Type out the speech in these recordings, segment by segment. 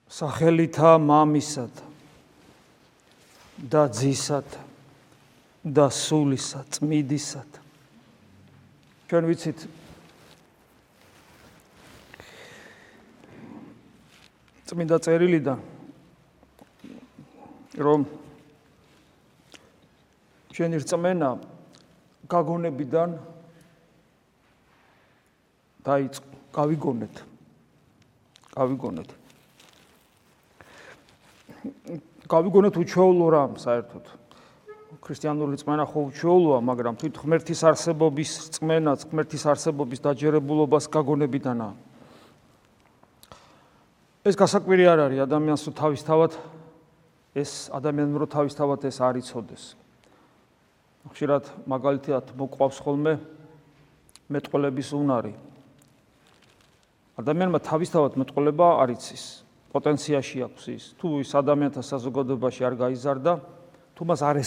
სახელითა მამისად და ძისად და სულისა წმიდისად. ჩვენ ვიცით წმინდა წერილიდან რომ ჩვენი რწმენა გაგონებიდან დაიწყო, გავიგონეთ. გავიგონეთ უჩვეულო რამ საერთოდ. ქრისტიანული რწმენა ხო უჩვეულოა, მაგრამ თვით ღმერთის არსებობის რწმენაც, ღმერთის არსებობის დაჯერებულობას გაგონებიდანაა. ეს გასაკვირი არ არის ადამიანს რო თავისთავად ეს არ იცოდეს. ხშირად მაგალითად მოყვავს ხოლმე მეტყველების უნარი. ადამიანმა თავისთავად მეტყველება არ იცის. პოტენციაში აქვს ის. თუ ის ადამიანთა საზოგადოებაში არ გაიზარდა, თუ მას არ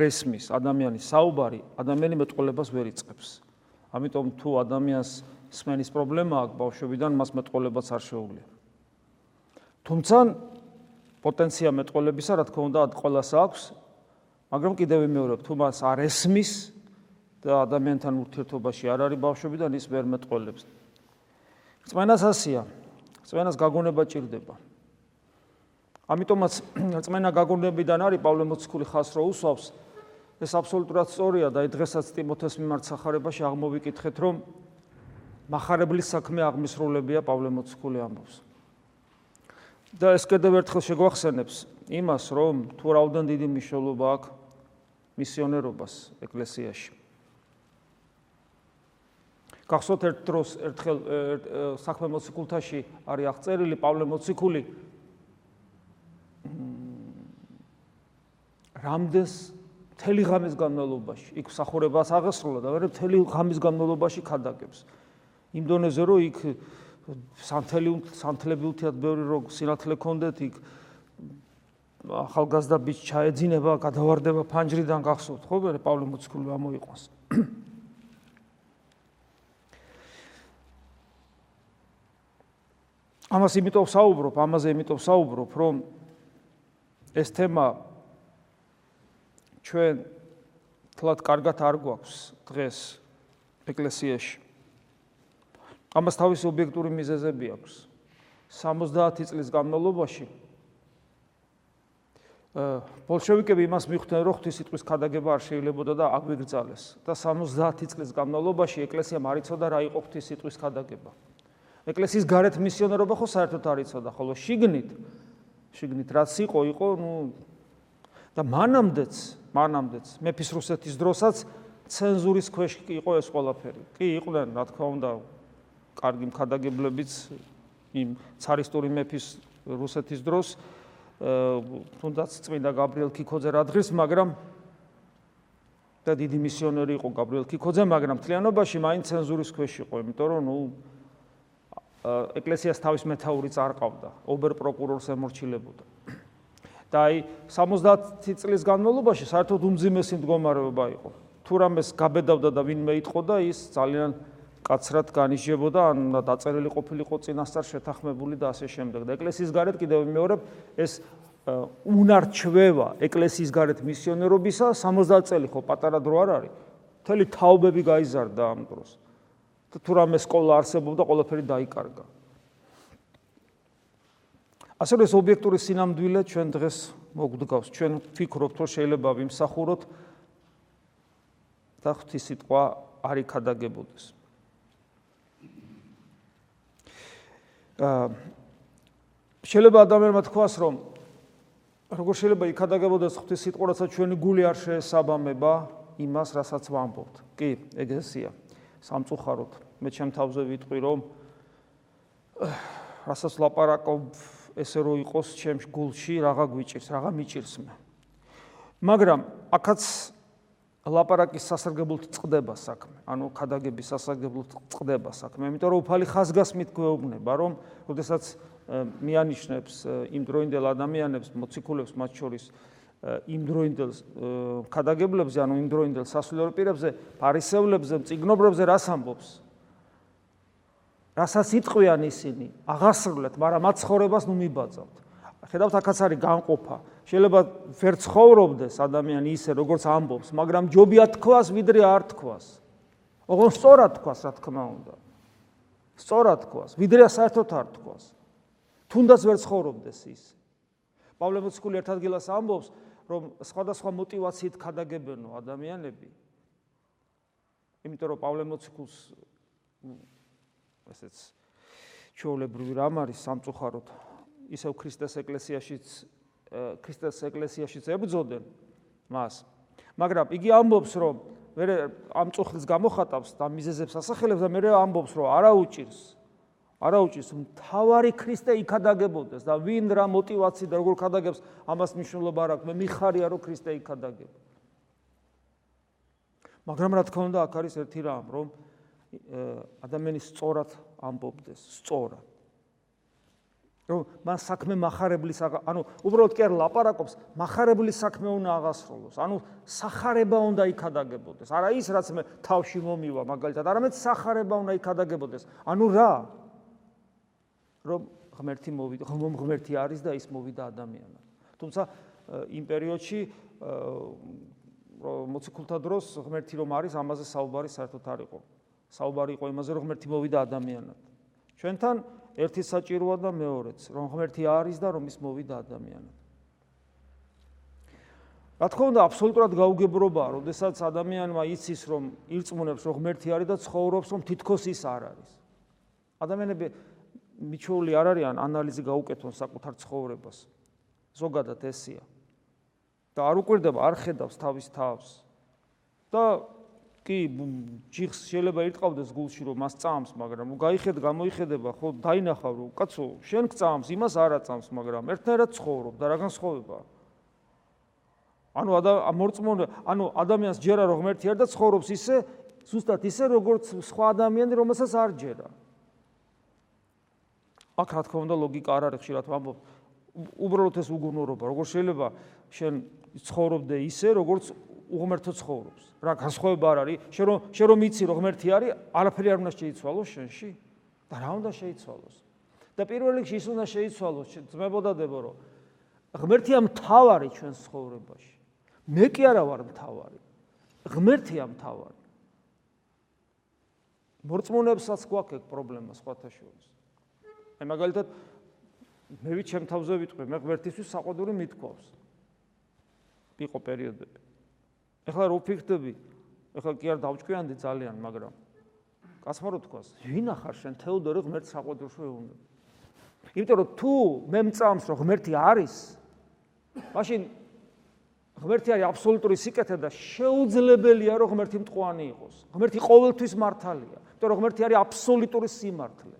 ესმის ადამიანის საუბარი, ადამიანი მეტყველებას ვერ იწყებს. ამიტომ თუ ადამიანს სმენის პრობლემა აქვს ბავშვობიდან, მას მეტყველებაც არ შეუძლია. თუმცა პოტენცია მეტყველებისა, რა თქმა უნდა, ყველას აქვს, მაგრამ კიდევ ვიმეორებ, თუ მას არ ესმის და ადამიანთან ურთიერთობაში არ არის ბავშვობიდან, ის ვერ მეტყველებს. რწმენას ასია. რწმენას გაგონება ჭირდება. ამიტომაც რწმენა გაგონებიდან არის პავლე მოციქული ხაზს რო უსვავს, ეს აბსოლუტურად სწორია და დღესაც ტიმოთეს მიმართ სახარებაში აღმოვიკითხეთ, რომ მახარებლის საქმე აღმისრულებია პავლე მოციქული ამბობს. და ეს კიდევ ერთხელ შეგვახსენებს იმას, რომ თუ რაოდენ დიდი მნიშვნელობა აქვს მისიონერობას ეკლესიაში. გახსოვთ ერთ დროს ერთხელ საქმე მოციქულთაში არის აღწერილი პავლე მოციქული რამდენს მთელი ღამის განმავლობაში იქ მსახურებას აღესრულა და ვერ მთელი ღამის განმავლობაში ქადაგებს. იმ დონეზე რომ იქ სანთლები უთიათ ბევრი რო სინათლე ქონდეთ, იქ ახალგაზრდა ბიჭი ჩაეძინება, გადავარდება ფანჯრიდან, გახსოვთ ხო პავლე მოციქული ამოიყვანს. ამაზე იმიტომ საუბრობ, რომ ეს თემა ჩვენ თლად კარგად არ გვაქვს დღეს ეკლესიაში. ამას თავისი ობიექტური მიზეზები აქვს. 70 წლის განმავლობაში ბოლშევიკები იმას მიხვდნენ, რომ ღვთისმსიტყვის ქადაგება არ შეიძლებოდა და აგვიგრძალეს. და 70 წლის განმავლობაში ეკლესიამ არ იცოდა რა იყო ღვთისმსიტყვის ქადაგება. ეკლესიის გარეთ მისიონერობა ხო საერთოდ არ იცოდა, ხოლო შიგნით რაც იყო, და მანამდეც მეფის რუსეთის დროსაც ცენზურის ქვეშ იყო ეს ყველაფერი. კი იყვნენ, რა თქმა უნდა, კარგი მქადაგებლებიც იმ цаრისტური მეფის რუსეთის დროს, თუნდაც წმინდა გაბრიელ ქიქოძე რადღირს, მაგრამ და დიდი მისიონერი იყო გაბრიელ ქიქოძე, მაგრამ მთლიანობაში მაინც ცენზურის ქვეშ იყო, იმიტომ რომ ეკლესიას თავის მეთაურიც არ ყავდა, ობერ-პროკურორს ემორჩილებოდა. და აი 70 წლის განმავლობაში საერთოდ უმძიმესი მდგომარეობა იყო. თუ რამეს გაბედავდა და ვინმე იტყოდა, ის ძალიან კაცრად განისჯებოდა, ან დაწერილი ყოფილიყო წინასწარ შეთანხმებული და ასე შემდეგ. და ეკლესიის გარეთ კიდევ ვიმეორებ, ეს უნარჩვევა ეკლესიის გარეთ მისიონერობისა 70 წელი ხო პატარა დრო არ არის. მთელი თაობები გაიზარდა ამ დროს. თუ რამე სკოლა არსებობდა, ყველაფერი დაიკარგა. ასე რომ ეს ობიექტური სინამდვილე ჩვენ დღეს მოგვდგავს. ჩვენ ვფიქრობთ, რომ შეიძლება ვიმსახუროთ და ღვთისმსიტყვა არ იქადაგებოდეს. შეიძლება ადამიანმა თქვას, რომ როგორ შეიძლება იქადაგებოდეს ღვთისმსიტყვა, რასაც ჩვენი გული არ შეესაბამება იმას, რასაც ვამბობთ. კი, ეგრესია. სამწუხაროდ, მე ჩემ თავზე ვიტყვი, რომ რასაც ლაპარაკობ, ესე რო იყოს ჩემ გულში რაღა გვიჭირს, რაღა მიჭირს მე. მაგრამ აქაც ლაპარაკის სასარგებლოდ წყდება საქმე, ანუ ქადაგების სასარგებლოდ წყდება საქმე, იმიტომ რომ უფალი ხაზგასმით გვეუბნება, რომ როდესაც მიანიშნებს იმ დროინდელ ადამიანებს, მოციქულებს მათ შორის იმ დროინდელ ქადაგებლებზე, ანუ იმ დროინდელ სასულიერო პირებზე, ფარისევლებზე, მწიგნობრებზე რას ამბობს? რასაც იტყვიან ისინი, აღასრულეთ, მაგრამ მათ ცხოვრებას ნუ მიბაძავთ. ხედავთ, აქაც არის განყოფა. შეიძლება ვერ ცხოვრობდეს ადამიანი ისე, როგორც ამბობს, მაგრამ ჯობია თქვას, ვიდრე არ თქვას. ოღონდ სწორად თქვას, რა თქმა უნდა. სწორად თქვას, ვიდრე საერთოდ არ თქვას. თუნდაც ვერ ცხოვრობდეს ისე. პავლე მოციქული ერთ ადგილას ამბობს, რომ სხვადასხვა мотивაციით ქადაგებენო ადამიანები. იმიტომ რომ პავლე მოციქულს ესეც ჩვეულებრივი რამ არის სამწუხაროდ ისევ ქრისტეს ეკლესიაშიც ებრძოდნენ მას. მაგრამ იგი ამბობს, რომ მე ამ წუხლის გამოხატავს და მიზეზებს ასახელებს და მე ამბობს, რომ არაუჭირს მთავარი ქრისტე იქადაგებოდეს და ვინ რა мотивაციით და როგორ ქადაგებს, ამას მნიშვნელობა არ აქვს. მე მიხარია, რომ ქრისტე იქადაგება. მაგრამ რა თქმა უნდა, აქ არის ერთი რამ, რომ ადამიანი სწორად ამბობდეს, სწორად. რომ მან საქმე מחარებლის, ანუ უბრალოდ კი არ ლაპარაკობს, מחარებლის საქმე უნდა აღასრულოს. ანუ სახარება უნდა იქადაგებოდეს. არა ის, რაც მე თავში მომივა, მაგალითად, არამედ სახარება უნდა იქადაგებოდეს. ანუ რა? რომ ღმერთი მოვიდა, ღმერთი არის და ის მოვიდა ადამიანად. თუმცა იმ პერიოდში მოციქულთა დროს ღმერთი რომ არის, ამაზე საუბარი საერთოდ არ იყო. საუბარი იყო იმაზე, რომ ღმერთი მოვიდა ადამიანად. ჩვენთან ერთი საჭიროა და მეორეც, რომ ღმერთი არის და რომ ის მოვიდა ადამიანად. რა თქმა უნდა, აბსოლუტურად გაუგებრობაა, როდესაც ადამიანმა იცის, რომ ირწმუნებს, რომ ღმერთი არის და ცხოვრობს, რომ თითქოს ის არ არის. ადამიანები მიჩვეული არ არიან ანალიზი გაუკეთონ საკუთარ ცხოვრებას. ზოგადად ესია. და არ უკვირდება, არ ხედავს თავის თავს. და კი, ჯიხს შეიძლება ირტყავდეს გულში, რომ მას წამს, მაგრამ გამოიხედება, ხო, დაინახავ, რომ კაცო, შენ გწამს, იმას არ აწამს, მაგრამ ერთნაირად ცხოვრობ და რა განსხვავებაა. ანუ ადამიანს ჯერა რომ ღმერთი არ და ცხოვრობს ისე, ზუსტად ისე, როგორც სხვა ადამიანი, რომელსაც არ ჯერა. აქ რა თქმა უნდა ლოგიკა არ არის, ხშირად ვამბობ, უბრალოდ ეს უგუნურობა, როგორ შეიძლება შენ ცხოვრობდე ისე, როგორც უღმერთო ცხოვრობს. რა განსხვავება არ არის? შენ რომ იცი რომ ღმერთი არის, არაფერი არ უნდა შეიცვალოს შენში და რა უნდა შეიცვალოს? და პირველ რიგში ის უნდა შეიცვალოს, ძმებოდადებო, რომ ღმერთია მთავარი ჩვენს ცხოვრებაში. მე კი არა ვარ მთავარი. ღმერთია მთავარი. მორწმუნეებსაც გვაქვს ეგ პრობლემა სხვათა შორის. აი მაგალითად მე ვით ჩემ თავზე ვიტყვი, მე ღმერთისთვის საყვედური მithქვავს. იყო პერიოდები. ეხლა რო ვფიქრდები, ეხლა კი არ დავჭკვიანდი ძალიან, მაგრამ კაცმა რო თქვას, ვინა ხარ შენ თეოდორე ღმერთს საყვედურს ვეუბნები. იმიტომ რომ თუ მე მწამს რომ ღმერთი არის, მაშინ ღმერთი არის აბსოლუტური სიკეთე და შეუძლებელია რომ ღმერთი მტყვანი იყოს. ღმერთი ყოველთვის მართალია, იმიტომ რომ ღმერთი არის აბსოლუტური სიმართლე.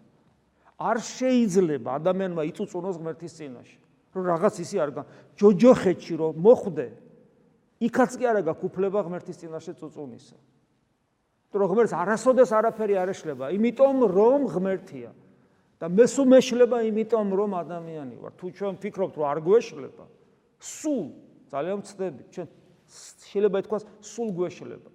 არ შეიძლება ადამიანმა იწუწუნოს ღმერთის წინაშე. რომ რაღაც ისი არ ჯოჯოხეთში რომ მოხვდე, იქაც კი არა გაქვს უფლება ღმერთის წინაშე წუწუნისა. იმიტომ რომ ღმერთს არასოდეს არაფერი არ ეშლება, იმიტომ რომ ღმერთია. და მე სულ მეშლება იმიტომ რომ ადამიანი ვარ. თუ ჩვენ ვფიქრობთ რომ არ გვეშლება, სულ ძალიან ვცდებით, ჩვენ შეიძლება ითქვას სულ გვეშლება.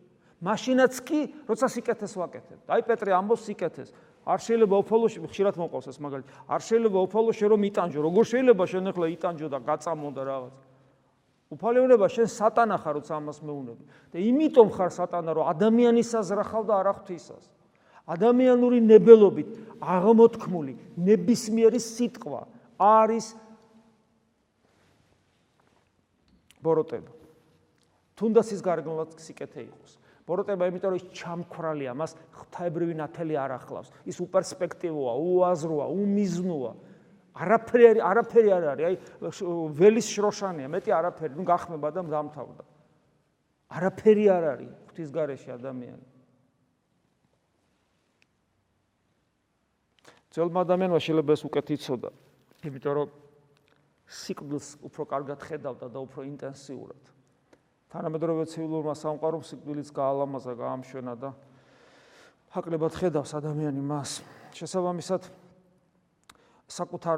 მაშინაც კი, როცა სიკეთეს ვაკეთებთ. აი პეტრე ამბობს სიკეთეს. არ შეიძლება უფალოში, ხშირად მოყავს ეს მაგალითი. არ შეიძლება უფალოში რომ იტანჯო. როგორ შეიძლება შენ ახლა იტანჯო და გაწამო და რაღაც. უფალი უნდა შენ სატანა ხარ, როცა ამას მეუბნები. და იმიტომ ხარ სატანა, რომ ადამიანისას ზრახავ და არა ღვთისას. ადამიანური ნებელობით აღმოთქმული ნებისმიერი სიტყვა არის ბოროტება. თუნდაც ის გარეგნულად სიკეთე იყოს. ბოროტება იმიტომ რომ ის ჩამქრალია, მას ღვთაებრივი ნათელი არ ახლავს. ის უპერსპექტივოა, უაზროა, უმიზნოა. არაფერი არ არის. აი ველის შროშანია, მეტი არაფერი, ნუ გახმება და დამთავრდა. არაფერი არ არის ღვთის გარეშე ადამიანი. ძველმა ადამიანმა შეიძლება ეს უკეთ იცოდა, იმიტომ რომ სიკვდილს უფრო კარგად ხედავდა და უფრო ინტენსიურად. თანამედროვე ცივილურმა სამყარომ სიკვდილიც გაალამაზა, გაამშვენა და ჰაკლებად ხედავს ადამიანი მას. შესაბამისად საკუთარ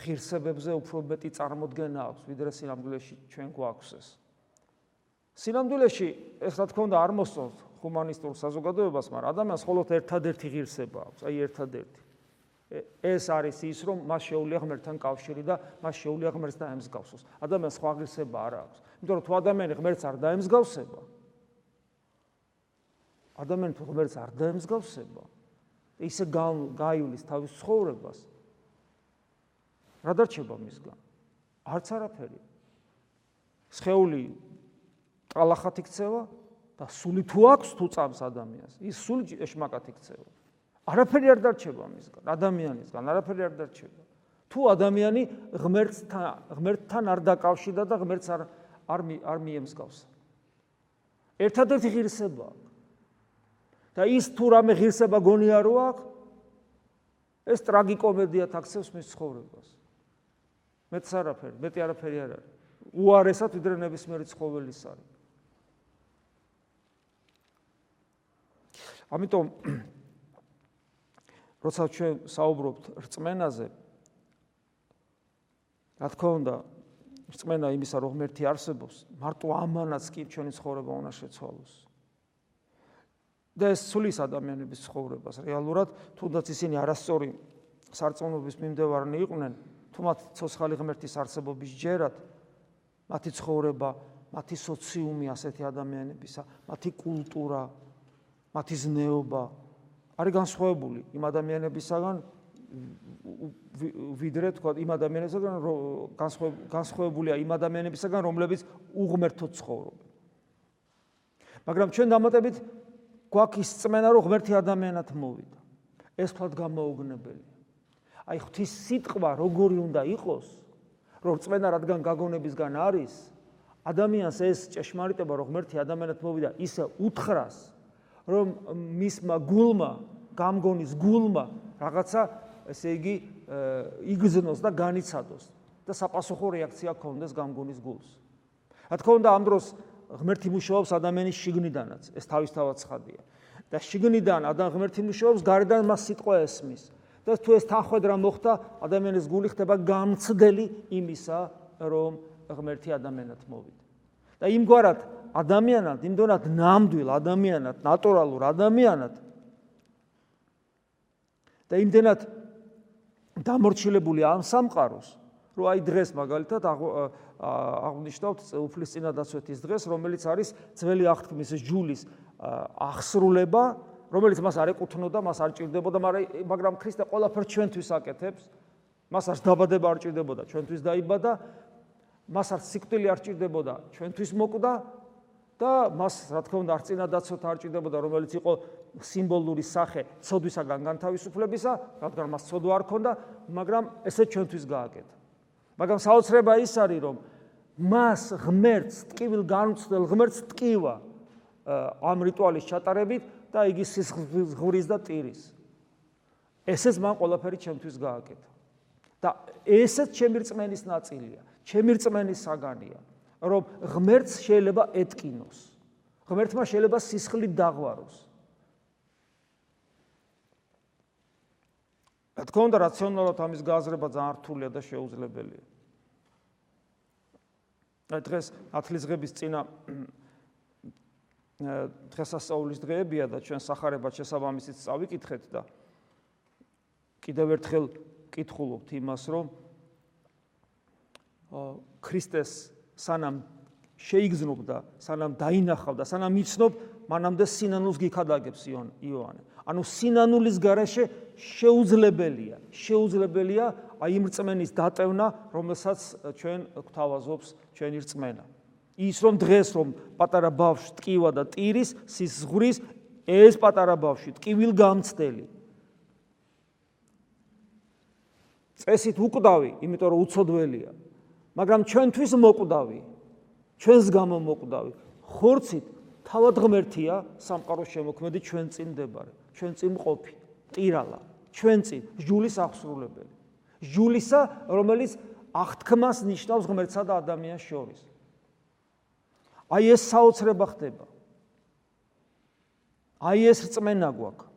ღირსებებზე უფრო მეტი წარმოდგენა აქვს, ვიდრე სინამდვილეში ჩვენ გვაქვს ეს. სინამდვილეში ეს რა თქმა უნდა არ მოსწონთ, ჰუმანისტურ საზოგადოებას, მაგრამ ადამიანს მხოლოდ ერთადერთი ღირსება აქვს, აი ერთადერთი. ეს არის ის, რომ მას შეუძლია ღმერთთან კავშირი და მას შეუძლია ღმერთს დაემსგავსოს. ადამიანს სხვა ღირსება არ აქვს. იმიტომ რომ თუ ადამიანი ღმერთს არ დაემსგავსება, ადამიანი თუ ღმერთს არ დაემსგავსება, ისე გაივლის თავის ცხოვრებას, რა დარჩება მისგან? არც არაფერი. სხეული ტალახად იქცევა და სული თუ აქვს თუ წამს ადამიანს, ის სული ეშმაკად იქცევა. არაფერი არ დარჩება მისგან, ადამიანისგან არაფერი არ დარჩება. თუ ადამიანი ღმერთთან არ დაკავშირდა და ღმერთს არ მიემსგავსა. ერთადერთი ღირსება აქვს. და ის თუ რამე ღირსება გონია რო აქვს, ეს ტრაგიკომედიად აქცევს მის ცხოვრებას. მეტი არაფერი არ არის. უარესად ვიდრე ნებისმიერი ცხოველის არის. ამიტომ როცა ჩვენ საუბრობთ რწმენაზე, რა თქმა უნდა, რწმენა იმისა, რომ ღმერთი არსებობს, მარტო ამანაც კი ჩვენი ცხოვრება უნდა შეცვალოს. და ეს ცვლის ადამიანების ცხოვრებას. რეალურად, თუნდაც ისინი არასწორი სარწმუნოების მიმდევარნი იყვნენ, თუ მათ ცოცხალი ღმერთის არსებობის ჯერათ, მათი ცხოვრება, მათი სოციუმი ასეთი ადამიანებისა, მათი კულტურა, მათი ზნეობა არის განსხვავებული იმ ადამიანებისაგან, ვიდრე თქვა იმ ადამიანებისაგან, განსხვავებულია იმ ადამიანებისაგან, რომლებიც უღმერთოდ ცხოვრობენ. მაგრამ ჩვენ დამატებით გვაქვს ის რწმენა, რომ ღმერთი ადამიანად მოვიდა. ეს თქვათ გამოუგნებელია. აი ღვთის სიტყვა როგორი უნდა იყოს, რომ რწმენა რადგან გაგონებისგან არის, ადამიანს ეს ჭეშმარიტება, რომ ღმერთი ადამიანად მოვიდა, ისე უთხრას, რომ მისმა გულმა, გამგონის გულმა რაღაცა, ესე იგი, იგზნოს და განიცადოს და sapasukho რეაქცია ქონდეს გამგონის გულს. რა თქმა უნდა, ამ დროს ღმერთი მუშაობს ადამიანის შიგნიდანაც, ეს თავისთავად ცხადია. და შიგნიდან ღმერთი მუშაობს, გარედან მას სიტყვა ესმის. და თუ ეს თანხwebdriver მოხდა, ადამიანის გული ხდება გამცდელი იმისა, რომ ღმერთი ადამიანად მოვიდა. და იმგვარად ადამიანად, იმდენად ნამდვილ ადამიანად, ნატურალურ ადამიანად და იმდენად დამორჩილებული ამ სამყაროს, რომ აი დღეს მაგალითად აღნიშნავთ უფლისწინადაცვეთის დღეს, რომელიც არის ძველი აღთქმის ჯულის აღსრულება, რომელიც მას არ ეკუთვნოდა, მას არ ჭირდებოდა, მაგრამ ქრისტე ყველაფერს ჩვენთვის აკეთებს, მას არც დაბადება არ ჭირდებოდა, ჩვენთვის დაიბადა, მას არც სიკვდილი არ ჭირდებოდა, ჩვენთვის მოკვდა და მას, რა თქმა უნდა, არც წინადაცვით არ ჭირდებოდა, რომელიც იყო სიმბოლური სახე ცოდვისაგან განთავისუფლებისა, რადგან მას ცოდვა არ ჰქონდა, მაგრამ ესე ჩვენთვის გააკეთა. მაგრამ საოცრება ის არის, რომ მას ღმერთს, ტკივილ განუცდელ ღმერთს ტკივა ამ რიტუალის ჩატარებით და იგი სისხლის და ტირის. ესეც მან ყველაფერი ჩემთვის გააკეთა. და ესეც ჩემი რწმენის ნაწილია, ჩემი რწმენის საგანია, რომ ღმერთს შეიძლება ეტკინოს. ღმერთმა შეიძლება სისხლით დაღვაროს. რა თქმა უნდა, რაციონალურად ამის გააზრება ძალიან რთულია და შეუძლებელია. დღეს ათლისღების წინა დღესასწაულის დღეებია და ჩვენ სახარებად შესაბამისით წავიკითხეთ და კიდევ ერთხელ კითხულობთ იმას, რომ ქრისტეს სანამ შეიგზნობდა, სანამ დაინახავდა, სანამ იცნობ, მანამდე სინანულს გიქადაგებს იოანე. ანუ სინანულის გარეშე შეუძლებელია აი იმ რწმენის დატევნა, რომელსაც ჩვენ გვთავაზობს ჩვენი რწმენა. ის რომ დღეს რომ პატარა ბავშვი ტკივა და ტირის, სისხლის, ეს პატარა ბავშვი ტკივილგამცდელი. წესით უკვდავი, იმიტომ რომ უცოდველია, მაგრამ ჩვენთვის მოკვდავი, ჩვენს გამო მოკვდავი. ხორცით თავად ღმერთია სამყაროს შემოქმედი ჩვენ წინ მდებარე, ჩვენ წინ მყოფი, ტირალა, ჩვენ წინ ჯულის აღსრულებელი. ჯულისა, რომელიც აღთქმას ნიშნავს ღმერთსა და ადამიანს შორის. აი ეს საოცრება ხდება. აი ეს რწმენა გვაქვს.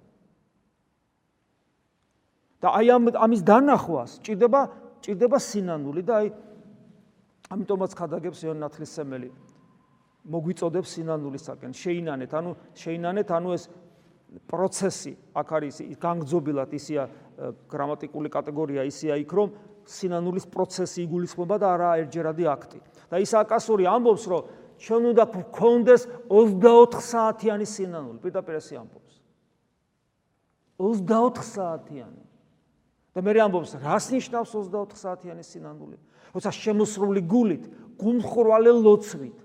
და აი ამის დანახვას ჭირდება სინანული და აი ამიტომაც ხადაგებს იოანე ნათლისმცემელი. მოგვიწოდებს სინანულისაკენ. შეინანეთ, ანუ ეს პროცესი აქ არის განგრძობილად ისია გრამატიკული კატეგორია ისია იქ რომ სინანულის პროცესი იგულისხმება და არა ერთჯერადი აქტი. და ისააკასური ამბობს რომ ჩვენ უნდა გქონდეს 24 საათიანი სინანული, პირდაპირ ესე ამბობს. 24 საათიანი. და მე ამბობს, რას ნიშნავს 24 საათიანი სინანული? როცა შემოსრული გულით, გულმხურვალე ლოცვით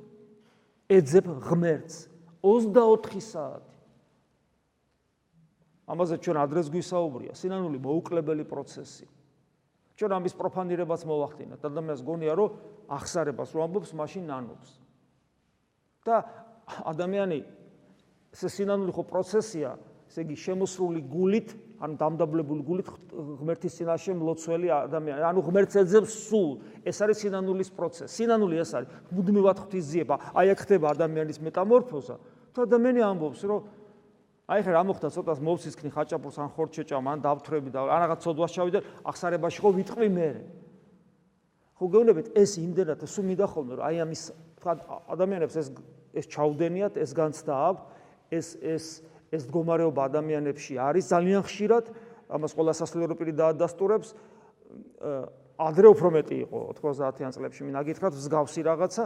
ეძებ ღმერთს 24 საათი. ამაზე ჩვენ ადრეს გვისაუბრია, სინანული მოუკლებელი პროცესი. ჩვენ ამის პროფანირებას მოვახდინათ. ადამიანს გონია, რომ ახსარებას რომ ამბობს, მაშინ ნანობს. და ადამიანი ეს სინანული ხო პროცესია, ესე იგი შემოსრული გულით, ანუ დამდაბლებული გულით ღმერთის წინაშე მლოცველი ადამიანი, ანუ ღმერთს ეძებს სულ. ეს არის სინანულის პროცესი. სინანული ეს არის მუდმივად ღვთისძიება. აი აქ ხდება ადამიანის მეტამორფოზა. თუ ადამიანი ამბობს, რომ აი ხე რა მოხდა ცოტას მოვსისქნი ხაჭაპურს ან ხორჩეჭამ ან დავთვრები და ან რაღაც ცოდვას ჩავიდე ახსარებაში ხო ვიტყვი მე. ხო გეუბნებით ეს იმდენად სულ მინდა ხოლმე რომ აი ამის თქვა ადამიანებს ეს ჩაუდენიათ, ეს განცდა აქვს, ეს მდგომარეობა ადამიანებში არის ძალიან ხშირად, ამას ყველა სასულიერო პირი დაადასტურებს. ადრე უფრო მეტი იყო 90-იან წლებში მინდა გითხრათ მსგავსი რაღაცა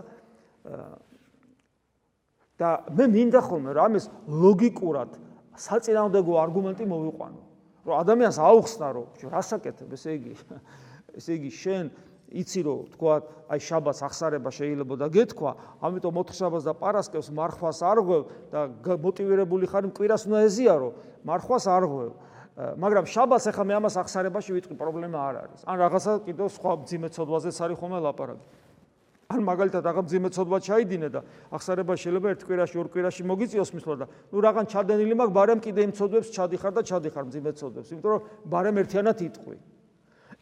და მე მინდა ხოლმე რომ ამის ლოგიკურად საწინააღმდეგო არგუმენტი მოვიყვანო. რომ ადამიანს აუხსნა რომ რასაკეთებ, ესე იგი შენ იცი რომ თქვა აი შაბათს ახსარება შეიძლება და გეთქვა, ამიტომ 4 შაბათს და პარასკევს მარხვას არ ღვევ და მოტივირებული ხარ მკვირას უნდა ეზიარო, მარხვას არ ღვევ. მაგრამ შაბათს ახლა მე ამას ახსარებაში ვიტყვი, პრობლემა არ არის. ან რაღაცა კიდევ სხვა მძიმე ცოდვაზეც არის ხოლმე ლაპარაკი. ან მაგალითად რაღაც მძიმე ცოდვა ჩაიდინე და ახსარება შეიძლება ერთ კვირაში, ორ კვირაში მოგიწიოს მისვლა და ნუ რაღაც ჩადენილი მაქვს, ბარემ კიდე იმ ცოდვებს ჩადიხარ და ჩადიხარ მძიმე ცოდვებს, იმიტომ რომ ბარემ ერთიანად იტყვი.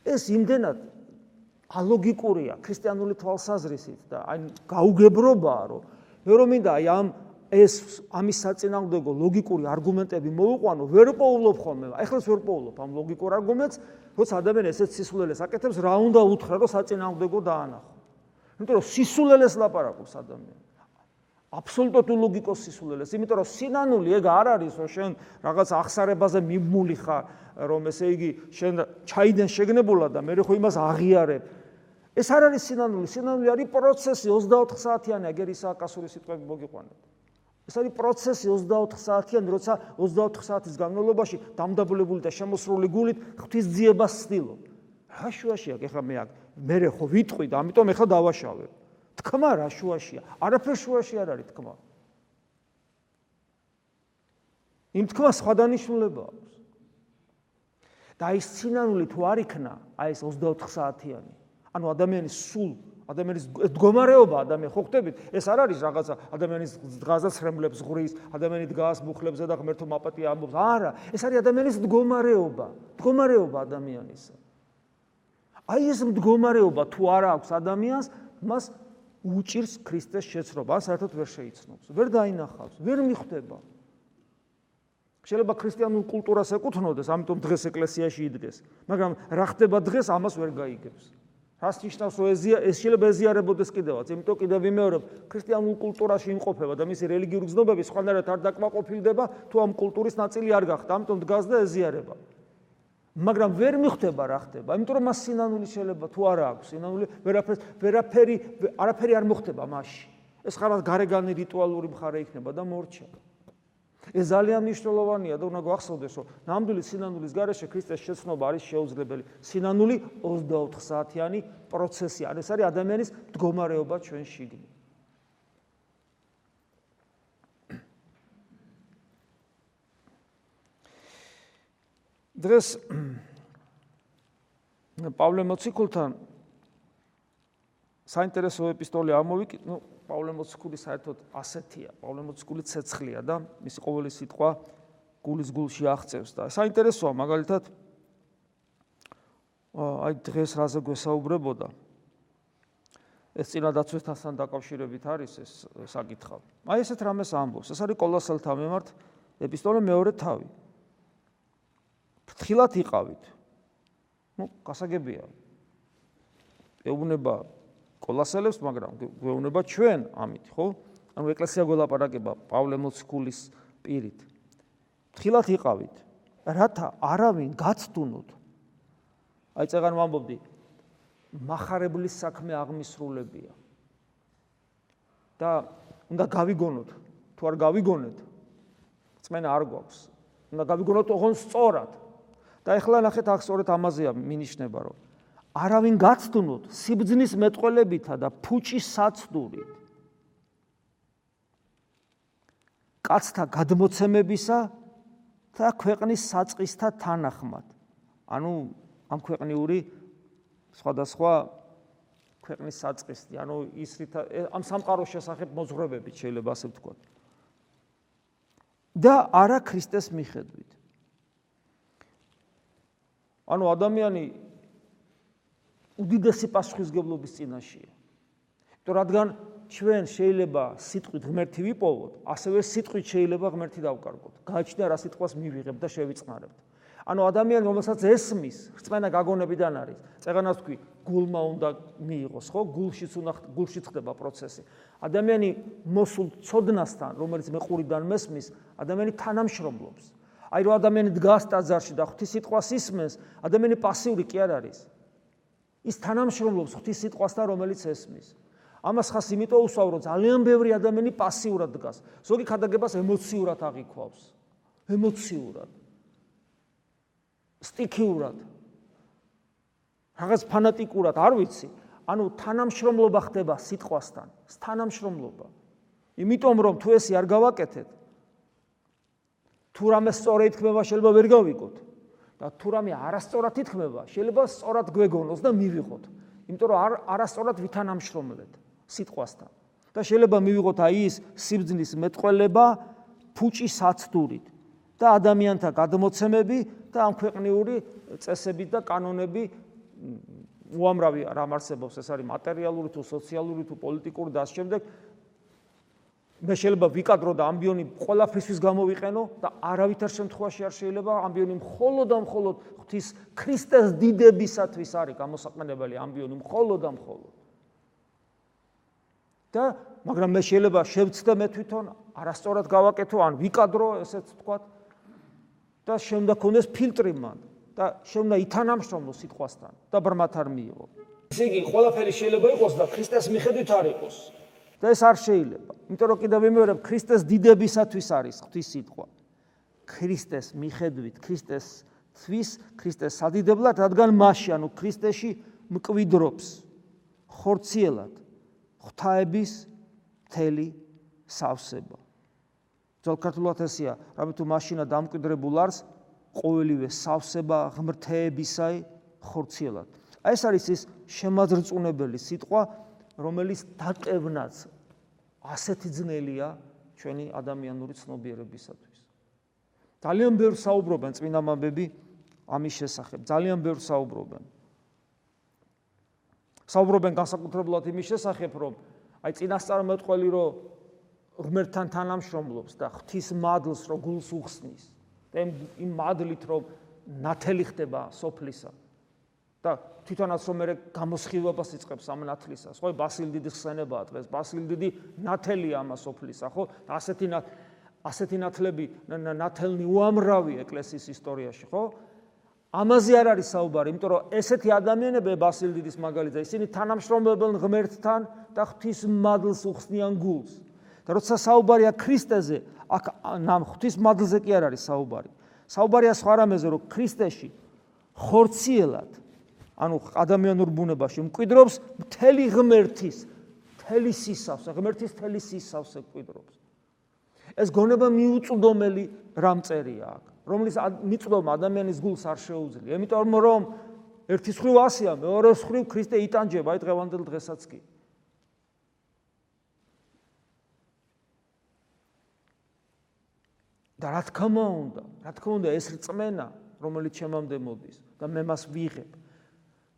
ეს იმდენად ალოგიკურია ქრისტიანული თვალსაზრისით და აი გაუგებრობაა რომ მე რომ მინდა აი ამის საწინააღმდეგო ლოგიკური არგუმენტები მოვიყვანო, ვერ პოულობ ხოლმე. ეხლაც ვერ პოულობ ამ ლოგიკურ არგუმენტს, როცა ადამიანი ესეც სისულელეს აკეთებს, რა უნდა უთხრა რომ საწინააღმდეგო დაანახო. იმიტომ რომ სისულელეს ლაპარაკობს ადამიანი. აბსოლუტურად ლოგიკოს სისულელეს, იმიტომ რომ სინანული ეგ არ არის, რომ შენ რაღაც ახსარებაზე მიმული ხარ, რომ ესე იგი შენ ჩაიდენ შეგნებულა და მე ხო იმას აღიარებ. ეს არ არის სინანული, სინანული არის პროცესი 24 საათიანი, ეგ ის აკასური სიტყვები მოგიყვანეთ. ეს არის პროცესი 24 საათიანი, როცა 24 საათის განმავლობაში დამდაბლებული და შემოსრული გულით ღვთისძიებას ვცდილობ. რა შუაშია ეხლა მე ხო ვიტყვი და ამიტომ ეხლა დავაშავებ. თქმა რა შუაშია? არაფერ შუაში არ არის თქმა. იმ თქმა სხვა დანიშნულება აქვს. და ის სინანული თუ არ იქნა, აი ეს 24 საათიანი. ანუ ადამიანის სულ, ადამიანის მდგომარეობა, ადამიანი ხო ხვდებით, ეს არ არის რაღაცა ადამიანის დღაზას ხრემლებს ღრის, ადამიანი დგას მუხლებზე და ღმერთო მაპატია ამბობს. არა, ეს არის ადამიანის მდგომარეობა ადამიანისა. აი ეს მდგომარეობა თუ არ აქვს ადამიანს, მას უჭირს ქრისტეს შეცნობა, ან საერთოდ ვერ შეიცნობს, ვერ დაინახავს, ვერ მიხვდება. შეიძლება ქრისტიანულ კულტურას ეკუთვნოდეს, ამიტომ დღეს ეკლესიაში იდგეს, მაგრამ რა ხდება დღეს, ამას ვერ გაიგებს. რას ნიშნავს რომ ეს შეიძლება ეზიარებოდეს კიდევაც, იმიტომ კიდევ ვიმეორებ, ქრისტიანულ კულტურაში იმყოფება და მისი რელიგიური გზნობები სხვანაირად არ დაკმაყოფილდება, თუ ამ კულტურის ნაწილი არ გახდა, ამიტომ დგას და ეზიარება. მაგრამ ვერ მიხვდება რა ხდება, იმიტომ რომ მას სინანული შეიძლება თუ არა აქვს, სინანული არაფერი არ მოხდება მასში. ეს ხარ გარეგანი რიტუალური მხარე იქნება და მორჩა. ეს ძალიან მნიშვნელოვანია და უნდა გვახსოვდეს, რომ ნამდვილი სინანულის გარეშე ქრისტეს შეცნობა არის შეუძლებელი. სინანული 24 საათიანი პროცესია. ეს არის ადამიანის მდგომარეობა ჩვენ შიგნით. დღეს პავლე მოციქულთან საინტერესო ეპისტოლე ამოვიკით, პავლე მოციქული საერთოდ ასეთია, პავლე მოციქული ცეცხლია და მისი ყოველი სიტყვა გულის გულში აღწევს და საინტერესოა მაგალითად აი დღეს რაზე გვესაუბრებოდა ეს წინადაცვასთან დაკავშირებით არის ეს საკითხავი. აი ესეთ რამეს ამბობს, ეს არის კოლოსელთა მიმართ ეპისტოლე მეორე თავი. ფრთხილად იყავით. გასაგებია. ეუბნება კოლოსელებს, მაგრამ გვეუბნება ჩვენ ამით, ხო? ანუ ეკლესია გველაპარაკება პავლე მოციქულის პირით. თხილად იყავით, რათა არავინ გაცდუნოთ. აი წეგან ვამბობდი, მახარებლის საქმე აღმისრულებია. და უნდა გავიგონოთ, თუ არ გავიგონეთ, წმენა არ გვაქვს. უნდა გავიგონოთ ოღონდ სწორად. და ეხლა ნახეთ, აქ სწორედ ამაზეა მინიშნება, რომ არავინ გაცდუნოთ სიბძნის მეტყველებითა და ფუჭის საცდურით. კაცთა გადმოცემებისა და ქვეყნის საწყისთა თანახმად. ანუ ამ ქვეყნიური სხვადასხვა ქვეყნის საწყისი, ანუ ის ამ სამყაროს შესახებ მოძღვრებებით შეიძლება ასე ვთქვათ. და არა ქრისტეს მიხედვით. ანუ ადამიანი უდიდესი პასუხისმგებლობის წინაშეა. იმიტომ რადგან ჩვენ შეიძლება სიტყვით ღმერთი ვიპოვოთ, ასევე სიტყვით შეიძლება ღმერთი დავკარგოთ. გააჩნია რა სიტყვას მივიღებთ და შევიწყნარებთ. ანუ ადამიანი, რომელსაც ესმის, რწმენა გაგონებიდან არის. წეგანას თქვი, გულმა უნდა მიიღოს, ხო? გულშიც ხდება პროცესი. ადამიანი მოსულ ცოდნასთან, რომელიც მეყურიდან მესმის, ადამიანი თანამშრომლობს. აი რომ ადამიანი დგას ტაძარში და ღვთის სიტყვას ისმენს, ადამიანი პასიური კი არ არის. ის თანამშრომლობს ღვთის სიტყვასთან, რომელიც ესმის. ამას ხას იმიტომ უსვავ, რომ ძალიან ბევრი ადამიანი პასიურად დგას. ზოგი ქადაგებას ემოციურად აღიქვავს. ემოციურად. სტიქიურად. რაღაც ფანატიკურად, არ ვიცი. ანუ თანამშრომლობა ხდება სიტყვასთან, თანამშრომლობა. იმიტომ რომ თუ ესე არ გავაკეთეთ, თუ რამე სწორად ითქმება, შეიძლება ვერ გავიგოთ. და თუ რამე არასწორად ითქმება, შეიძლება სწორად გვეგონოს და მივიღოთ. იმიტომ რომ არასწორად ვითანამშრომლეთ სიტყვასთან. და შეიძლება მივიღოთ აი ის სიბძნის მეტყველება ფუჭის საცდურით და ადამიანთა გადმოცემები და ამ ქვეყნიური წესები და კანონები უამრავი რამ არსებობს, ეს არის მატერიალური თუ სოციალური თუ პოლიტიკური და ასე შემდეგ. მე შეიძლება ვიკადრო და ამბიონი ყველაფრისთვის გამოვიყენო და არავითარ შემთხვევაში არ შეიძლება ამბიონი მხოლოდ და მხოლოდ ღვთის ქრისტეს დიდებისათვის არის გამოსაყენებელი ამბიონი მხოლოდ და მხოლოდ. და მაგრამ მე შეიძლება შევცდე მე თვითონ არასწორად გავაკეთო ან ვიკადრო, ესეც ვთქვათ და შემდა ქონდეს ფილტრი მან და შემდა ითანამშრომლო სიტყვასთან და ბრმათ არ მიიღო. ესე იგი ყველაფერი შეიძლება იყოს და ქრისტეს მიხედვით არ იყოს. და ეს არ შეიძლება. იმიტომ რომ კიდევ ვიმეორებ, ქრისტეს დიდებისათვის არის ღვთის სიტყვა. ქრისტეს მიხედვით, ქრისტესთვის, ქრისტეს სადიდებლად, რადგან მასში, ანუ ქრისტეში მკვიდრობს ხორციელად ღვთაების მთელი სავსება. ძველ ქართულად ესეა, რამე თუ მაშინა დამკვიდრებულ არს, ყოველივე სავსება ღმრთეებისაი ხორციელად. აი ეს არის ის შემაძრწუნებელი სიტყვა, რომელიც დაკევნაც ასეთი ძნელია ჩვენი ადამიანური ცნობიერებისათვის. ძალიან ბევრ საუბრობენ წმინდა მამები ამის შესახებ, ძალიან ბევრ საუბრობენ. საუბრობენ განსაკუთრებულად იმის შესახებ, რომ აი წინასწარმეტყველი რომ ღმერთთან თანამშრომლობს და ღვთის მადლს რომ გულს უხსნის და იმ მადლით რომ ნათელი ხდება სოფლისა და თვითონაც რომ მე გამოსხივებას იწყებს ამ ნათლისას, ხო? ბასილ დიდის ხსენებაა დღეს, ბასილ დიდი ნათელია ამ სოფლისა, ხო? და ასეთი ნათლები, ნათელნი უამრავი ეკლესიის ისტორიაში, ხო? ამაზე არ არის საუბარი, იმიტომ რომ ესეთი ადამიანები ბასილ დიდის მაგალითად, ისინი თანამშრომლებენ ღმერთთან და ღვთის მადლს უხსნიან გულს. და როცა საუბარია ქრისტეზე, აქ ნამ ღვთის მადლზე კი არ არის საუბარი. საუბარია სხვა რამეზე, რომ ქრისტეში ხორციელად, ანუ ადამიანურ ბუნებაში მკვიდრობს მთელი ღმერთის, მთელი სისავსე, ღმერთის მთელი სისავსე მკვიდრობს. ეს გონება მიუწვდომელი რამწერია აქ, რომლის მიწვდომა ადამიანის გულს არ შეუძლია. იმიტომ რომ ერთი მხრივ ასეა, მეორე მხრივ ქრისტე იტანჯება აი დღევანდელ დღესაც კი. და რა თქმა უნდა ეს რწმენა, რომელიც ჩემამდე მოდის და მე მას ვიღებ.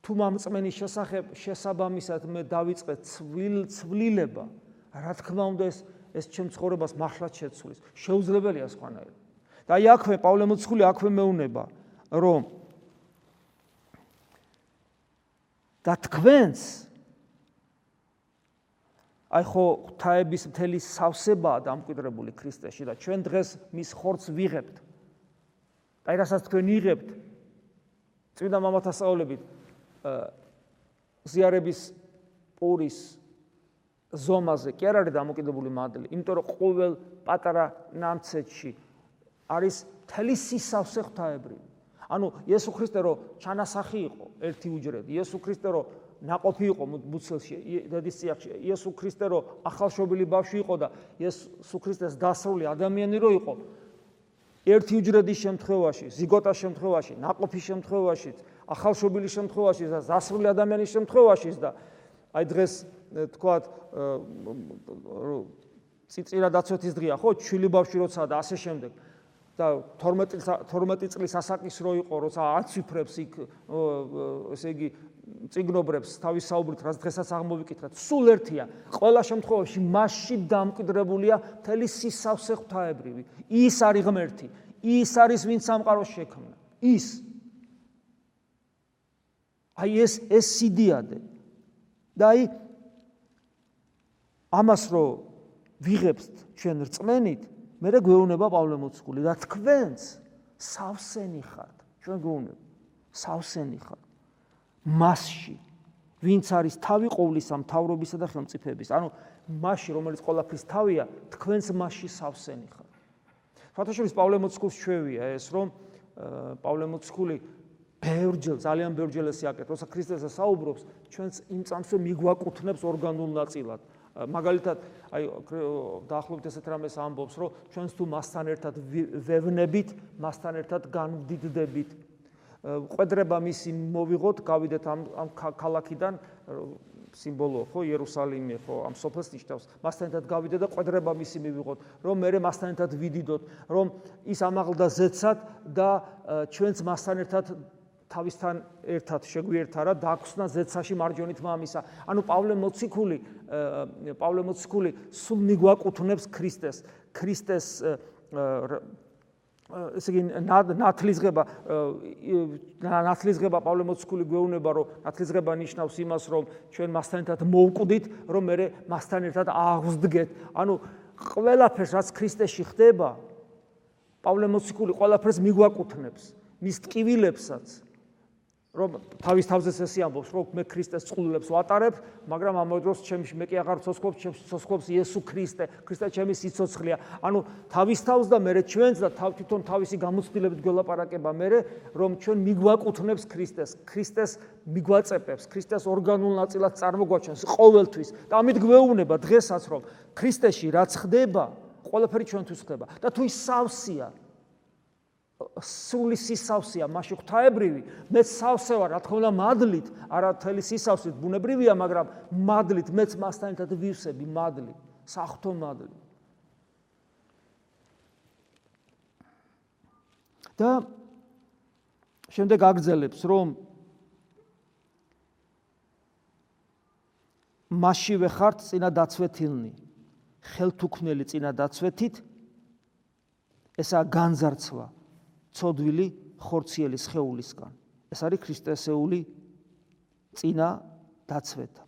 თუ ამ რწმენის შესახებ შესაბამისად მე დავიწყე ცვლილება, რა თქმა უნდა ეს ჩემ ცხოვრებას მართლაც შეცვლის. შეუძლებელია სხვანაირად. და აი აქვე პავლე მოციქული აქვე მეუნება, რომ და თქვენს აი ხო ღვთაების მთელი სავსებაა დამკვიდრებული ქრისტეში და ჩვენ დღეს მის ხორცს ვიღებთ. აი რასაც თქვენ იღებთ წმინდა მამათა სწავლებით ზიარების პურის ზომაზე კი არ არის დამოკიდებული მადლი, იმიტომ რომ ყოველ პატარა ნამცეთში არის მთელი სისავსე ღვთაებრივი. ანუ იესო ქრისტე რო ჩანასახი იყო ერთი უჯრედი, იესო ქრისტე რო ნაყოფი იყო მუცელში, დედის წიაღში, იესო ქრისტე რო ახალშობილი ბავშვი იყო და იესო ქრისტეს დასრული ადამიანი რო იყო, ერთი უჯრედის შემთხვევაში, ზიგოტას შემთხვევაში, ნაყოფის შემთხვევაში, ახალშობილის შემთხვევაში და დასრული ადამიანის შემთხვევაში და აი დღეს თქვათ წიწირა დაცვეთის დღეა, ხო, ჩვილი ბავშვი როცა და ასე შემდეგ. და 12 წლის ასაკის რო იყო, როცა აცვიფრებს იქ ესე იგი წიგნობრებს თავის საუბრით, რაც დღესაც აღმოვიკითხეთ, სულ ერთია. ყველა შემთხვევაში მასში დამკვიდრებულია მთელი სისავსე ღვთაებრივი. ის არის ღმერთი, ის არის ვინც სამყაროს შექმნა. ის. აი ეს სიდიადე. და აი ამას რო ვიღებთ ჩვენ რწმენით, მერე გვეუბნება პავლე მოციქული და თქვენც სავსენი ხართ. ჩვენ გვეუბნება სავსენი ხართ. მასში, ვინც არის თავი ყოვლისა მთავრობისა და ხელმწიფეების. ანუ მასში, რომელიც ყველაფრის თავია, თქვენც მასში სავსენი ხართ. ფათაშორის პავლე მოციქულს ჩვევია ეს, რომ პავლე მოციქული ბევრჯერ, ძალიან ბევრჯერ ეს აკეთებს, როცა ქრისტესა საუბრობს, ჩვენც იმ წამსვე მიგვაკუთვნებს ორგანულ ნაწილად. მაგალითად, აი დაახლოებით ესეთ რამეს ამბობს, რომ ჩვენც თუ მასთან ერთად ვევნებით, მასთან ერთად განვდიდდებით. ყვედრება მისი მოვიღოთ, გავიდეთ ამ ქალაქიდან, სიმბოლოა ხო, იერუსალიმი ხო, ამ სოფელს ნიშნავს. მასთან ერთად გავიდეთ და ყვედრება მისი მივიღოთ, რომ მე მასთან ერთად ვიდიდოთ, რომ ის ამაღლდა ზეცად და ჩვენც მასთან ერთად თავისთან ერთად შეგვიერთარა დაგვხსნა ზეცაში მარჯვენით მამისა. ანუ პავლე მოციქული სულ მიგვაკუთვნებს ქრისტეს. ქრისტეს ესე იგი ნათლისღება პავლე მოციქული გვეუბნება, რომ ნათლისღება ნიშნავს იმას, რომ ჩვენ მასთან ერთად მოვკვდით, რომ მე მასთან ერთად აღვსდგეთ. ანუ ყველაფერს, რაც ქრისტეში ხდება, პავლე მოციქული ყველაფერს მიგვაკუთვნებს, მის ტკივილებსაც. რომ თავის თავზეც ესე ამბობს, რომ მე ქრისტეს წყვილებს ვატარებ, მაგრამ ამავე დროს მე კი აღარ ცოცხლობ, ცოცხლობს იესო ქრისტე, ქრისტე ჩემი სიცოცხლეა. ანუ თავის თავს და მე ჩვენც და თვითონ თავისი გამოცდილებით გველაპარაკება მე, რომ ჩვენ მიგვაკუთვნებს ქრისტეს, ქრისტეს მიგვაწეპებს, ქრისტეს ორგანულ ნაწილად წარმოგვაჩენს ყოველთვის. და ამით გვეუბნება დღესაც, რომ ქრისტეში რაც ხდება, ყველაფერი ჩვენთვის ხდება. და თუ ის სავსეა, სული სისავსეა, მასში ღვთაებრივი, მეც სავსე ვარ, რა თქმა უნდა მადლით, არა მთელი სისავსით, ბუნებრივია, მაგრამ მადლით, მეც მასთან ერთად ვივსები მადლი, საღვთო მადლი. და შემდეგ აგრძელებს, რომ მასშივე ხართ წინა დაცვეთილნი, ხელთუქმნელი წინა დაცვეთით, ესაა განზარცვა ცოდვილი ხორციელი სხეულისგან. ეს არის ქრისტესეული წინა დაცვეთა.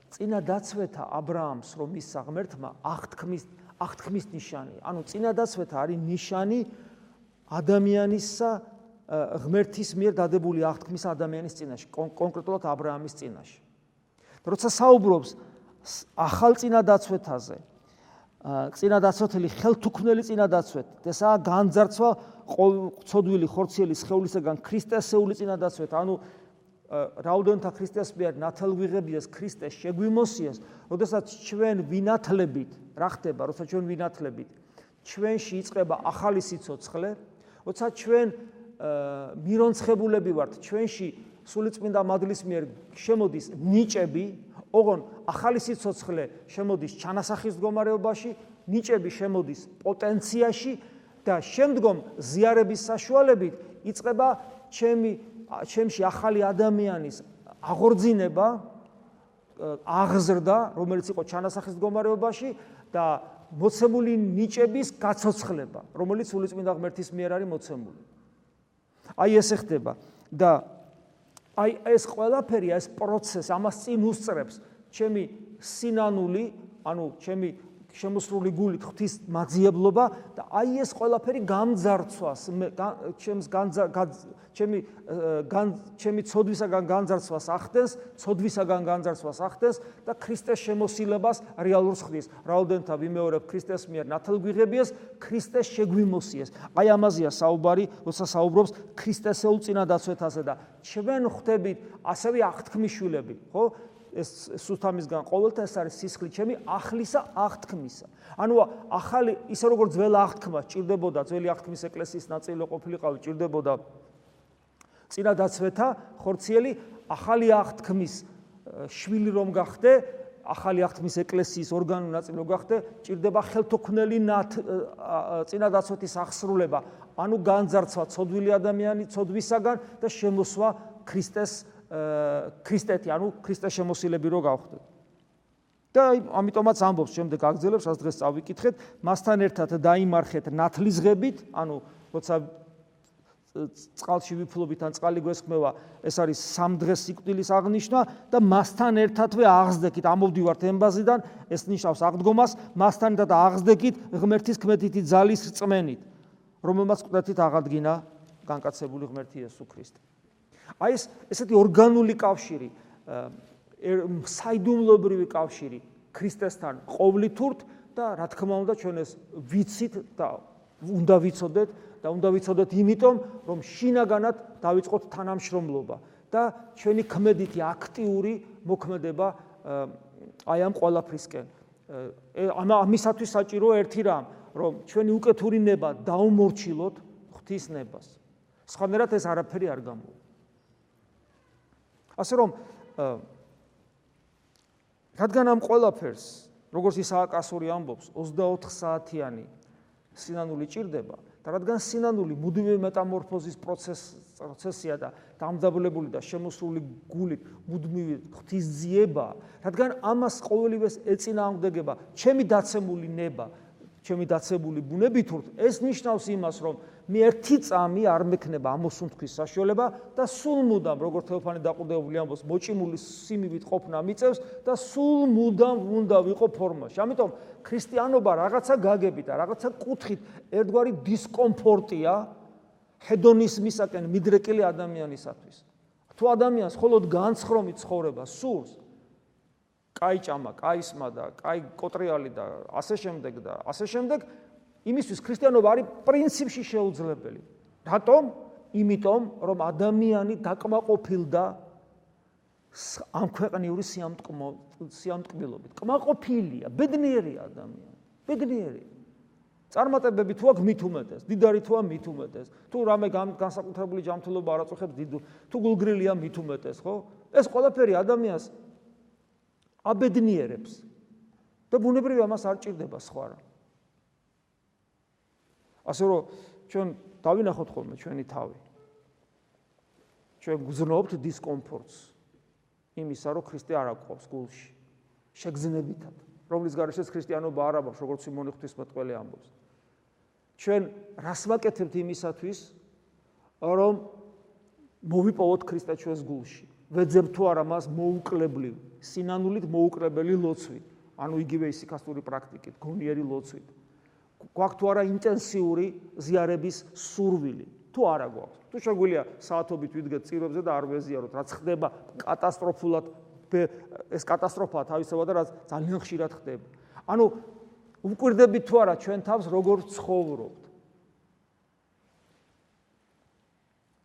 წინა დაცვეთა აბრაამს, რომ მისცა ღმერთმა, აღთქმის ნიშანია. ანუ წინა დაცვეთა არის ნიშანი ადამიანისა ღმერთის მიერ დადებული აღთქმის ადამიანის წინაშე, კონკრეტულად აბრაამის წინაშე. როცა საუბრობს ახალ წინა დაცვეთაზე, წინა დაცვეთილი ხელთუქმნელი წინა დაცვეთ, ესაა განძარცვა ცოდვილი ხორციელი სხეულისგან ქრისტესეული წინა დაცვეთ, ანუ რაოდენთა ქრისტეს მიერ ნათელვიღებიეს ქრისტეს შეგვიმოსიეს, როდესაც ჩვენ ვინათლებით, რა ხდება, როცა ჩვენ ვინათლებით, ჩვენში იწყება ახალი სიცოცხლე, როცა ჩვენ მირონცხებულები ვართ, ჩვენში სულიწმინდა მადლის მიერ შემოდის ნიჭები, ოღონ ახალი სიცოცხლე შემოდის ჩანასახის მდგომარეობაში, ნიჭები შემოდის პოტენციაში და შემდგომ ზიარების საშუალებით იწყება ჩემში ახალი ადამიანის აღორძინება, აღზრდა, რომელიც იყო ჩანასახის მდგომარეობაში და მოცემული ნიჭების გაცოცხლება, რომელიც სულიწმინდა ღმერთის მიერ არის მოცემული. აი ესე ხდება და აი ეს ყველაფერი, ეს პროცესი ამას წინ უსწრებს, ჩემი სინანული, ანუ ჩემი შემოსრული გულით ღვთის მაძიებლობა და აი ეს ყველაფერი გამძარცვას, ჩემი ცოდვისაგან განძარცვას ახდენს, ცოდვისაგან განძარცვას ახდენს და ქრისტეს შემოსილებას რეალურს ხდის. რაოდენთა ვიმეორებ ქრისტეს მიერ ნათელგვიღებიეს, ქრისტეს შეგვიმოსიეს. აი ამაზეა საუბარი, როცა საუბრობს ქრისტესეულ წინადაცვეთაზე და ჩვენ ხვდებით ასევე აღთქმის შვილები, ხო? ეს სულთამისგან ყოველთა ეს არის სისხლი ჩემი აღლისა აღთქმისა. ანუ ახალი ისე როგორც ძველი აღთქმა ჭირდებოდა, ძველი აღთქმის ეკლესიის ნაწილი ყოფილიყავი, ჭირდებოდა წინადაცვეთა ხორციელი, ახალი აღთქმის შვილი რომ გახდე, ახალი აღთქმის ეკლესიის ორგანული ნაწილი რომ გახდე, ჭირდება ხელთოქმნელი წინადაცვეთის აღსრულება, ანუ განძარცვა ცოდვილი ადამიანი ცოდვისაგან და შემოსვა ქრისტეთი, ანუ ქრისტეს შემოსილები რო გავხდეთ. და ამიტომაც ამბობს შემდეგ აგრძელებს, რაც დღეს წავიკითხეთ, მასთან ერთად დაიმარხეთ ნათლისღებით, ანუ როცა წყალში ვიფლობით ან წყალი გვესხმევა, ეს არის 3 დღეს სიკვდილის აღნიშვნა და მასთან ერთადვე აღზრდებით, ამოვდივართ ემბაზიდან, ეს ნიშნავს აღდგომას, მასთან ერთად აღზრდებით ღმერთის ქმედითი ძალის რწმენით, რომელმაც ყდათით აღადგინა განკაცებული ღმერთი იესო ქრისტე. აი ესეთი ორგანული კავშირი, საიდუმლოებრივი კავშირი ქრისტესთან ყოვლითურთ და რა თქმა უნდა ჩვენ ეს ვიცით და უნდა ვიცოდეთ და უნდა ვიცოდეთ იმიტომ, რომ შინაგანად დავიწყოთ თანამშრომლობა და ჩვენი ქმედითი აქტიური მოქმედება აი ამ ყველაფრისკენ. ამისათვის საჭიროა ერთი რამ, რომ ჩვენი უკეთური ნება დაუმორჩილოთ ღვთის ნებას. სხვანაირად ეს არაფერი არ გამოვა. ასე რომ რადგან ამ ყველაფერს, როგორც ისააკ ასური ამბობს, 24 საათიანი სინანული ჭირდება და რადგან სინანული მუდმივი მეტამორფოზის პროცესია და დამძაბლებული და შემოსრული გულით მუდმივი ღვთისძიება, რადგან ამას ყოველივეს ეწინააღმდეგება ჩემი დაცემული ნება, ჩემი დაცებული ბუნებითურთ, ეს ნიშნავს იმას, რომ მე ერთი წამი არ მექნება ამოსუნთქვის საშუალება და სულ მუდამ, როგორც თეოფანე დაყუდებული ამბობს, მოჭიმული სიმივით ყოფნა მიწევს და სულ მუდამ უნდა ვიყო ფორმაში. ამიტომ ქრისტიანობა რაღაცა გაგებით და რაღაცა კუთხით ერთგვარი დისკომფორტია ჰედონიზმისაკენ მიდრეკილი ადამიანისათვის. თუ ადამიანს მხოლოდ განცხრომი ცხოვრება სურს, კაი ჭამა, კაი სმა და კაი კოტრიალი და ასე შემდეგ, იმისთვის ქრისტიანობა არის პრინციპში შეუძლებელი. რატომ? იმიტომ, რომ ადამიანი დაკმაყოფილდა ამ ქვეყნიური სიამტკბილობით. კმაყოფილია, ბედნიერია ადამიანი, ბედნიერია. წარმატებები თუ აქვს მით უმეტეს, დიდარი თუ აქვს მით უმეტეს, თუ რამე განსაკუთრებული ჯანმრთელობა არ აწუხებს თუ გულგრილია მით უმეტეს, ხო? ეს ყველაფერი ადამიანს აბედნიერებს და ბუნებრივია მას არ ჭირდება სხვა რამ. ასე რომ ჩვენ დავინახოთ ხოლმე ჩვენი თავი. ჩვენ გზნობთ დისკომფორტს იმისა, რომ ქრისტე არ აკვავს გულში. შეგზნებითად, რომლის გარეშეც ქრისტიანობა არ ამბობს, როგორც სიმონი ღვთისმეტყველი ამბობს. ჩვენ რას ვაკეთებთ იმისათვის, რომ მოვიპოვოთ ქრისტე ჩვენს გულში. ვეძებთ თუ არა მას მოუკლებლივ, სინანულით მოუკლებელი ლოცვით, ანუ იგივე ისიქასტური პრაქტიკით, გონიერი ლოცვით. გვაქვს თუ არა ინტენსიური ზიარების სურვილი, თუ არა გვაქვს. თუ შეგვიძლია საათობით ვიდგეთ წირვებზე და არ ვეზიაროთ, რაც ხდება კატასტროფულად, ეს კატასტროფაა თავისუფლად და რაც ძალიან ხშირად ხდება. ანუ ვუკვირდებით თუ არა ჩვენ თავს როგორ ცხოვრობთ.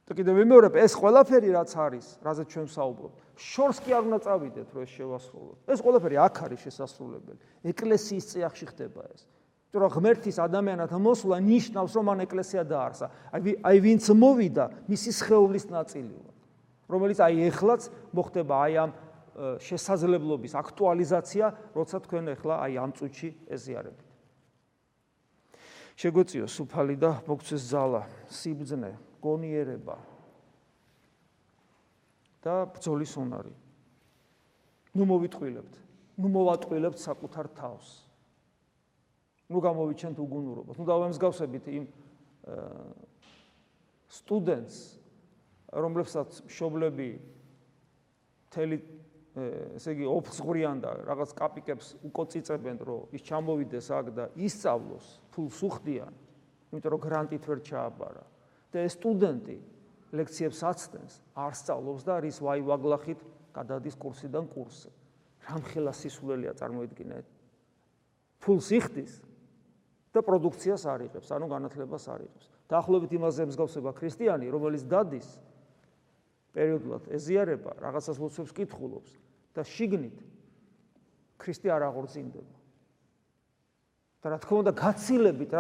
და კიდევ ვიმეორებ, ეს ყველაფერი რაც არის, რაზეც ჩვენ ვსაუბრობთ, შორს კი არ უნდა წავიდეთ, რომ ეს შევასრულოთ. ეს ყველაფერი აქ არის შესასრულებელი. ეკლესიის წიაღში ხდება ეს. რომ ღმერთის ადამიანად მოსვლა ნიშნავს, რომ მან ეკლესია დაარსა. აი ვინც მოვიდა, მისი სხეულის ნაწილი ვარ, რომელიც აი ეხლაც მოხდება აი ამ შესაძლებლობის აქტუალიზაცია, როცა თქვენ ეხლა აი ამ წუთში ეზიარებით. შეგვეციო სუფალი და მოგცეს ძალა, სიბრძნე, გონიერება და ბრძოლის უნარი. ნუ მოვიტყვილებთ, ნუ მოვატყვილებთ საკუთარ თავს. ნუ გამოვიჩენთ უგუნურობას. ნუ დავემსგავსებით იმ სტუდენტს, რომლებსაც მშობლები მთელი ესე იგი ოფსღვრიან და რაღაც კაპიკებს უკოწიწებენ, რომ ის ჩამოვიდეს აქ და ისწავლოს, ფულს უხდიან, იმიტომ რომ გრანტით ვერ ჩააბარა. და ეს სტუდენტი ლექციებს აცდენს, არ სწავლობს და არის ვაი-ვაგლახით გადადის კურსიდან კურსზე. რამხელა სისულელია წარმოიდგინეთ. ფულს იხდის და პროდუქციას არ იღებს, ანუ განათლებას არ იღებს. დაახლოებით იმაზე მსგავსება ქრისტიანი, რომელიც დადის პერიოდულად ეზიარება, რაღაცას ლოცვებს კითხულობს და შიგნით ქრისტე არ აღორძინდება. და რა თქმა უნდა გაცილებით,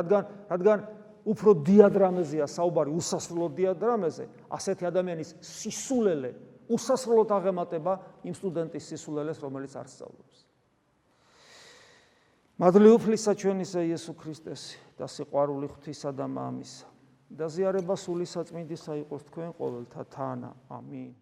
რადგან უფრო დიადრამეზეა საუბარი, უსასრულო დიადრამეზე, ასეთი ადამიანის სისულელე უსასრულოდ აღემატება იმ სტუდენტის სისულელეს, რომელიც არ სწავლობს. მადლი უფლისა ჩვენისა იესო ქრისტეს და სიყვარული ღვთისა და მამისა და ზიარება სული საწმინდისა იყოს თქვენ ყოველთა თანა. ამინ.